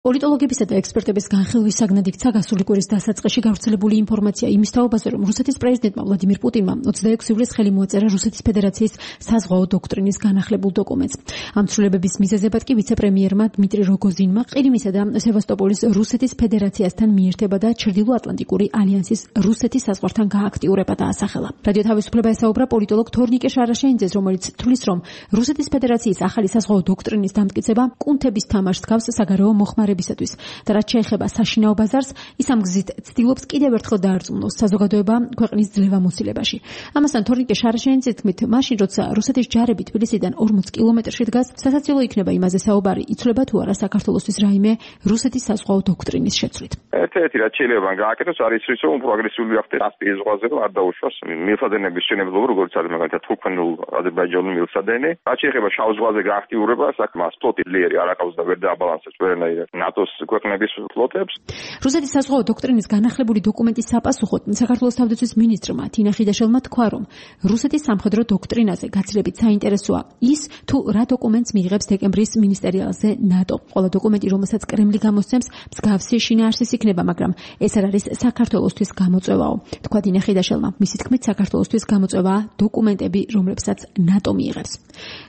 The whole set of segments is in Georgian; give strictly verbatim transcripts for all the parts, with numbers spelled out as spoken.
პოლიტოლოგებისა და ექსპერტების განხილვის საგნად იქცა გასული კვირის დასაწყისში გავრცელებული ინფორმაცია იმის თაობაზე, რომ რუსეთის პრეზიდენტმა ვლადიმირ პუტინმა ოცდაექვსი ივლისს ხელი მოაწერა რუსეთის ფედერაციის საზღვაო დოქტრინის განახლებულ დოკუმენტს. ამ ცვლილებების მიზეზებად კი ვიცე-პრემიერმა დმიტრი როგოზინმა ყირიმისა და სევასტოპოლის რუსეთის ფედერაციასთან მიერთება და ჩრდილო-ატლანტიკური ალიანსის რუსეთის საზღვართან გააქტიურება დაასახელა. რადიო თავისუფლება ესაუბრა პოლიტოლოგ თორნიკე შარაშენიძეს, რომელიც თვლის, რომ რუსეთის ფედერაციის ახალი საზღვაო დოქტრინის დამტკიცება კუნთების თამაშს გავს საგარეო მოხმარებისათვის და რაც შეეხება საშინაო ბაზარს, ის ამ გზით ცდილობს კიდევ ერთხელ დაარწმუნოს საზოგადოება ქვეყნის ძლევამოსილებაში. ამასთან თორნიკე შარაშენიძის თქმით, მაშინ როცა რუსეთის ჯარები თბილისიდან ორმოც კილომეტრში დგას, სასაცილო იქნება იმაზე საუბარი, იცვლება თუ არა საქართველოსთვის რაიმე რუსეთის საზღვაო დოქტრინის შეცვლით. ერთ-ერთი რაც შეიძლება გააკეთოს არის ის, რომ უფრო აგრესიული ხდება კასპიის ზღვაზე, რომ არ დაუშვას მილსადენების შენებლობა, როგორც არის მაგალითად თურქმენულ აზერბაიჯანულ მილსადენი. რაც შეეხება შავ ზღვაზე გააქტიურებას, აქ მას ფლოტი ძლიერი არ აკავს და ვერ დააბალანსებს ვერანაირად ნატოს ქვეყნების ფლოტებს. რუსეთის საზღვაო დოქტრინის განახლებული დოკუმენტის საპასუხოდ საქართველოს თავდაცვის მინისტრმა თინა ხიდაშელმა თქვა, რომ რუსეთის სამხედრო დოქტრინაზე გაცილებით საინტერესოა ის, თუ რა დოკუმენტს მიიღებს დეკემბრის მინისტერიალზე ნატო. ყველა დოკუმენტი, რომელსაც კრემლი გამოსცემს, მსგავსი შინაარსის იქნება, მაგრამ ეს არ არის საქართველოსთვის გამოწვევაო. თქვა თინა ხიდაშელმა. მისი თქმით, საქართველოსთვის გამოწვევაა დოკუმენტები, რომლებსაც ნატო მიიღებს.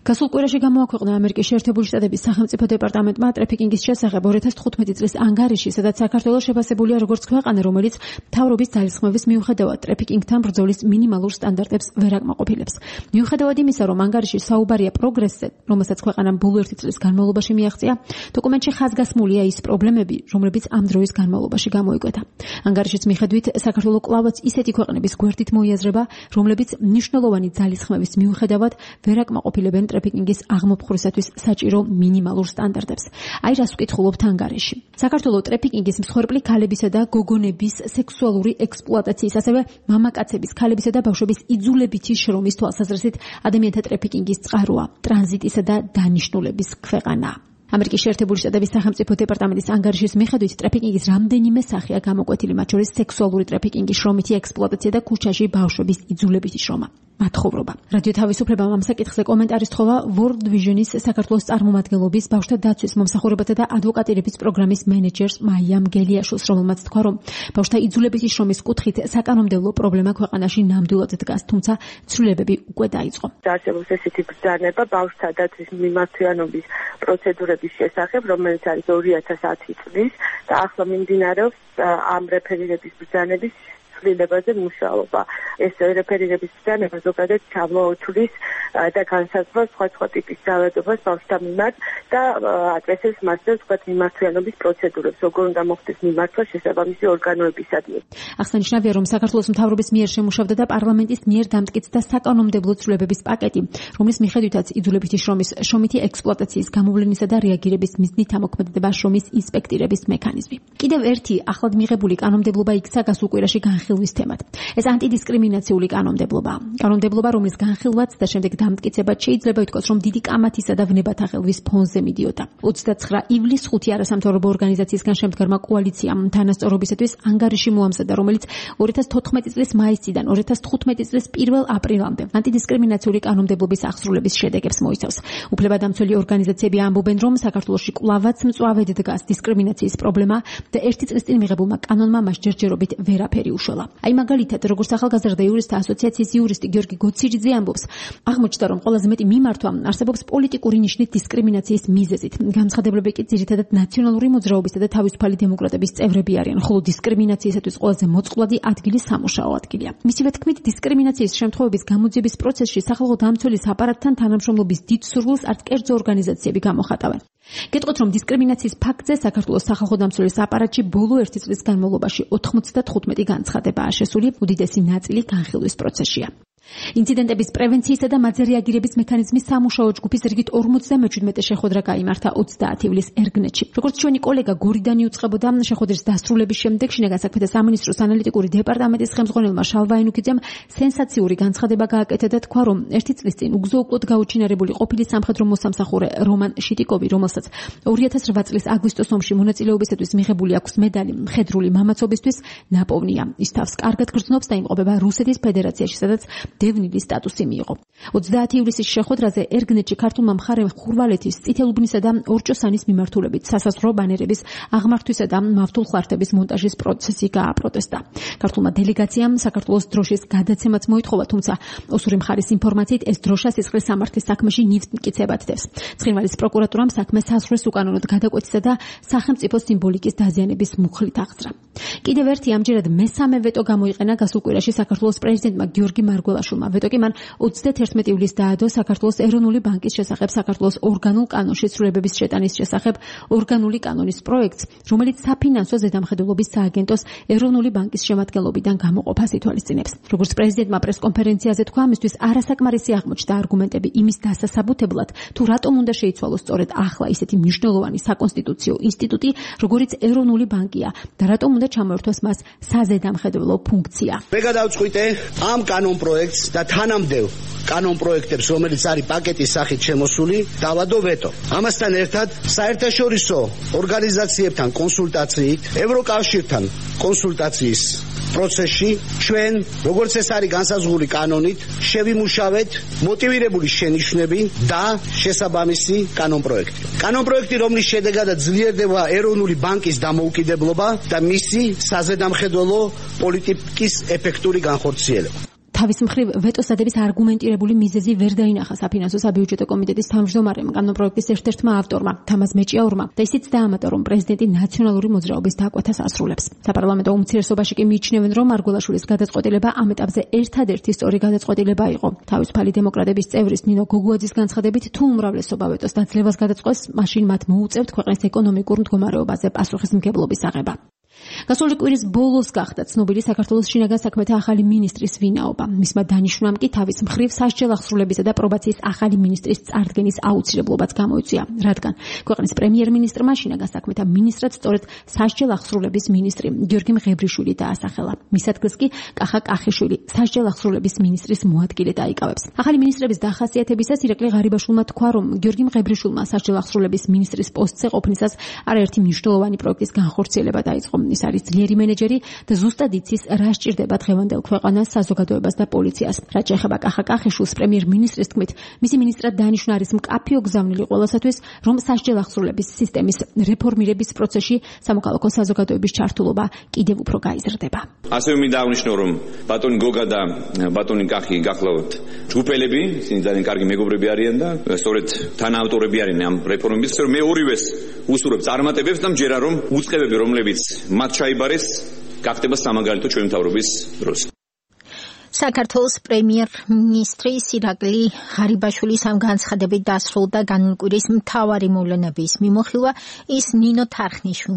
გასულ კვირაში გამოაქვეყნა ამერიკის შეერთებული შტატების სახელმწიფო დეპარტამენტმა ტრაფიკინგის შესახებ ორი ათას თხუთმეტი წლის ანგარიში, სადაც საქართველოს შეფასებულია როგორც ქვეყანა, რომელიც მთავრობის ძალისხმევის მიუხედავად ტრაფიკინგთან ბრძოლის მინიმალურ სტანდარტებს ვერ აკმაყოფილებს. მიუხედავად იმისა, რომ ანგარიში საუბარია პროგრესზე, რომელსაც ქვეყანამ ბოლო ერთი წლის განმავლობაში მიაღწია, დოკუმენტში ხაზგასმულია ის პრობლემები, რომლებიც ამ დროის განმავლობაში გამოიკვეთა. ანგარიშის მიხედვით, საქართველო კვლავაც ისეთი ქვეყნების გვერდით მოიაზრება, რომლებიც მნიშვნელოვანი ძალისხმევის მიუხედავად ვერ აკმაყოფილებენ ტრაფიკინგის აღმოფხვრისათვის საჭირო მინიმალურ სტანდარტებს. აი რას ვკითხულობთ ანგარიში. საქართველო ტრაფიკინგის მსხვერპლი ქალებისა და გოგონების სექსუალური ექსპლუატაციის, ასევე მამაკაცების, ქალებისა და ბავშვების იძულებითი შრომის თვალსაზრისით ადამიანთა ტრაფიკინგის წყაროა, ტრანზიტისა და დანიშნულების ქვეყანა. ამერიკის შეერთებული შტატების სახელმწიფო დეპარტამენტის ანგარიშის მიხედვით, ტრაფიკინგის რამდენიმე სახეა გამოკვეთილი, მათ შორის სექსუალური ტრაფიკინგი, შრომითი ექსპლუატაცია და ქუჩაში ბავშვების იძულებითი შრომა. მათხოვრობა. რადიო თავისუფლებამ ამ საკითხზე კომენტარის თხოვა World Vision-ის საქართველოს წარმომადგენლობის ბავშვთა დაცვის მომსახურებათა და ადვოკატირების პროგრამის მენეჯერს მაიამ გელიაშვილს, რომელმაც თქვა, რომ ბავშვთა იძულებითი შრომის კუთხით საკანონმდებლო პრობლემა ქვეყანაში ნამდვილად დგას, თუმცა ცვლილებები უკვე დაიწყო. არსებობს ესეთი ბრძანება ბავშვთა დაცვის მიმართვიანობის პროცედურების შესახებ, რომელიც არის ორი ათას ათი წლის და ახლა მიმდინარეობს ამ რეფერირების ბრძანების ცვლილებაზე მუშაობა. ეს რეფერირების ბრძანება ზოგადად ჩამოთვლის და განსაზღვრავს სხვა-სხვა ტიპის ძალადობას ბავშვთა მიმართ და აკეთებს მასზე სხვა მიმართვიანობის პროცედურებს, როგორ უნდა მოხდეს მიმართვა შესაბამისი ორგანოებისადმი. აღსანიშნავია, რომ საქართველოს მთავრობის მიერ შემუშავდა და პარლამენტის მიერ დამტკიცდა საკანონმდებლო ცვლილებების პაკეტი, რომლის მიხედვითაც იძულებითი შრომის, შრომითი ექსპლუატაციის გამოვლენისა და რეაგირების მიზნით ამოქმედება შრომის ინსპექტირების მექანიზმი. კიდევ ერთი ახლად მიღებული კანონმდებლობა იქცა გასულ კვირაში განხილვის თემად. ეს ანტიდისკრიმინაციული კანონმდებლობაა. კანონმდებლობა, რომლის განხილვაც და შემდეგ დამტკიცებაც შეიძლება ითქვას, რომ დიდი კამათისა და ვნებათა ხელვის ფონზე მიდიოდა. ოცდაცხრა ივლისს ხუთი არასამთავრობო ორგანიზაციისგან შემდგარმა კოალიციამ თანასწორობისათვის ანგარიში მოამზადა, რომელიც ორი ათას თოთხმეტი წლის მაისიდან ორი ათას თხუთმეტი წლის პირველ აპრილამდე ანტიდისკრიმინაციული კანონმდებლობის აღსრულების შედეგებს მოიცავს. უფლებადამცველი ორგანიზაციები ამბობენ, რომ საქართველოში კვლავაც მწვავედ დგას დისკრიმინაციის პრობლემა და ერთი წლის წინ მიღებულმა კანონმა მას ჯერჯერობით ვერაფერი უშველა. აი მაგალითად, როგორც ახალგაზრდა იურისტთა ასოციაციის იურისტი გიორგი გოცირიძე ამბობს, აღმოჩნდა, რომ ყველაზე მეტი მიმართვა არსებობს პოლიტიკური ნიშნით დისკრიმინაციის მიზეზით. განცხადებები კი ძირითადად ნაციონალური მოძრაობისა და თავისუფალი დემოკრატების წევრები არიან, ხოლო დისკრიმინაციისათვის ყველაზე მოწყვლადი ადგილი სამუშაო ადგილია. მისივე თქმით, დისკრიმინაციის შემთხვევების გამოძიების პროცესში სახალხო დამცველის აპარატთან თანამშრომლობის დიდ სურვილს არც კერძო ორგანიზაციები გამოხატავენ. გეტყვით, რომ დისკრიმინაციის ფაქტზე საქართველოს სახალხო დამცველის აპარატში ბოლო ერთი წლის განმავლობაში ოთხმოცდათხუთმეტი განცხადებაა შესული, უდიდესი ნაწილი განხილვის პროცესშია. ინციდენტების პრევენციისა და მათზე რეაგირების მექანიზმის სამუშაო ჯგუფის რიგით ორმოცდამეჩვიდმეტე შეხვედრა გაიმართა ოცდაათი ივლისს ერგნეთში. როგორც ჩვენი კოლეგა გორიდან იუწყებოდა, შეხვედრის დასრულების შემდეგ შინაგან საქმეთა სამინისტროს ანალიტიკური დეპარტამენტის ხელმძღვანელმა შალვა ენუქიძემ სენსაციური განცხადება გააკეთა და თქვა, რომ ერთი წლის წინ უგზო-უკვლოდ გაუჩინარებული ყოფილი სამხედრო მოსამსახურე რომან შიტიკოვი, რომელსაც ორი ათას რვა წლის აგვისტოს ომში მონაწილეობისათვის მიღებული აქვს მედალი მხედრული მამაცობისთვის, ნაპოვნია. ის თავს კარგად გრძნობს და იმყოფება რუსეთის ფედერაციაში, სადაც დევნილი სტატუსი მიიღო. ოცდაათი ივლისის შეხვედრაზე ერგნეტში ქართულმა მხარემ ხურვალეთის, წითელუბნისა და ორჭოსანის მიმართულებით სასაზღვრო ბანერების აღმართვისა და მავთულ ხლართების მონტაჟის პროცესი გააპროტესტა. ქართულმა დელეგაციამ საქართველოს დროშის გადაცემაც მოითხოვა, თუმცა ოსური მხარის ინფორმაციით ეს დროშა სისხლის სამართლის საქმეში ნივთს მტკიცებად დევს. ცხინვალის პროკურატურამ საქმე საზღვრის უკანონოდ გადაკვეთისა და სახელმწიფო სიმბოლიკის დაზიანების მუხლით აღძრა. კიდევ ერთი ამჯერად მესამე ვეტო გამოიყენა გასულ კვირაში საქართველოს პრეზიდენტმა გიორგი მარგველაშვილმა. ვეტო კი მან ოცდათერთმეტი ივლისს დაადო საქართველოს ეროვნული ბანკის შესახებ საქართველოს ორგანულ კანონში ცვლილებების შეტანის შესახებ ორგანული კანონის პროექტს, რომელიც საფინანსო ზედამხედველობის სააგენტოს ეროვნული ბანკის შემადგენლობიდან გამოყოფას ითვალისწინებს. როგორც პრეზიდენტმა პრესკონფერენციაზე თქვა, ამისთვის არასაკმარისი აღმოჩნდა არგუმენტები იმის დასასაბუთებლად, თუ რატომ უნდა შეიცვალოს სწორედ ახლა ისეთი მნიშვნელოვანი საკონსტიტუციო ინსტიტუტი, როგორც ეროვნული ბანკია და რატომ უნდა ჩამოერთვას მას საზედამხედველო ფუნქცია. მე გადავწყვიტე ამ კანონ პროექტს და თანამდებობ კანონ პროექტებს, რომელიც არის პაკეტის სახით შემოსული, დავადო ვეტო. ამასთან ერთად საერთაშორისო ორგანიზაციებთან კონსულტაციით, ევროკავშირთან კონსულტაციის პროცესში ჩვენ, როგორც ეს არის განსაზღვრული კანონით, შევიმუშავეთ მოტივირებული შენიშვნები და შესაბამისი კანონ პროექტი. კანონ პროექტი, რომლის შედეგადაც ძლიერდება ეროვნული ბანკის დამოუკიდებლობა და მისი საზედამხედველო პოლიტიკის ეფექტური განხორციელება. თავის მხრივ ვეტოს დადების არგუმენტირებული მიზეზი ვერ დაინახა საფინანსო საბიუჯეტო კომიტეტის თავმჯდომარემ, კანონპროექტის ერთ-ერთმა ავტორმა, თამაზ მეჭიაურმა, და ისიც დაამატა, რომ პრეზიდენტი ნაციონალური მოძრაობის დაკვეთას ასრულებს. საპარლამენტო უმცირესობაში კი მიიჩნევენ, რომ მარგველაშვილის გადაწყვეტილება ამ ეტაპზე ერთადერთი სწორი გადაწყვეტილება იყო. თავისუფალი დემოკრატების წევრის ნინო გოგუაძის განცხადებით, თუ უმრავლესობა ვეტოს დაძლევას გადაწყვეტს, მაშინ მათ მოუწევთ ქვეყნის ეკონომიკურ მდგომარეობაზე პასუხისმგებლობის აღება. გასული კვირის ბოლოს გახდა ცნობილი საქართველოს შინაგან საქმეთა ახალი მინისტრის ვინაობა. მისმა დანიშვნამ კი თავის მხრივ სასჯელ აღსრულებისა და პრობაციის ახალი მინისტრის წარდგენის აუცილებლობაც გამოიწვია, რადგან ქვეყნის პრემიერ-მინისტრმა შინაგან საქმეთა მინისტრად სწორედ სასჯელ აღსრულების მინისტრი გიორგი მღებრიშვილი დაასახელა. მის ადგილს კი კახა კახიშვილი სასჯელ აღსრულების მინისტრის მოადგილე დაიკავებს. ახალი მინისტრების დახასიათებისას ირაკლი ღარიბაშვილმა თქვა, რომ გიორგი მღებრიშვილმა სასჯელ აღსრულების მინისტრის პოსტზე ყოფნისას არაერთი მნიშვნელოვანი პროექტის განხორციელება დაიწყო. ის არის ძლიერი მენეჯერი და ზუსტად იცის, რა სჭირდება დღევანდელ ქვეყანას, საზოგადოებას და პოლიციას. რაც შეეხება კახა კახიშვილს, პრემიერ-მინისტრის თქმით, მისი მინისტრად დანიშვნა არის მკაფიო გზავნილი ყველასათვის, რომ სასჯელ აღსრულების სისტემის რეფორმირების პროცესში სამოქალაქო საზოგადოების ჩართულობა კიდევ უფრო გაიზრდება. ასევე მინდა აღნიშნო, რომ ბატონი გოგა და ბატონი კახი გახლავთ ჯგუფელები, ისინი ძალიან კარგი მეგობრები არიან და სწორედ თანაავტორები არიან ამ რეფორმების, რომ მე ორივეს უსურვებ წარმატებებს და მჯერა, რომ უწყებები, რომლებიც მათ ჩაიბარეს, გახდება სამაგალითო ჩვენი მთავრობის დროს. საქართველოს პრემიერ-მინისტრის ირაკლი ღარიბაშვილის ამ განცხადებით დასრულდა განმკვირის მთავარი მოვლენების მიმოხილვა. ის ნინო თარხნიშვილ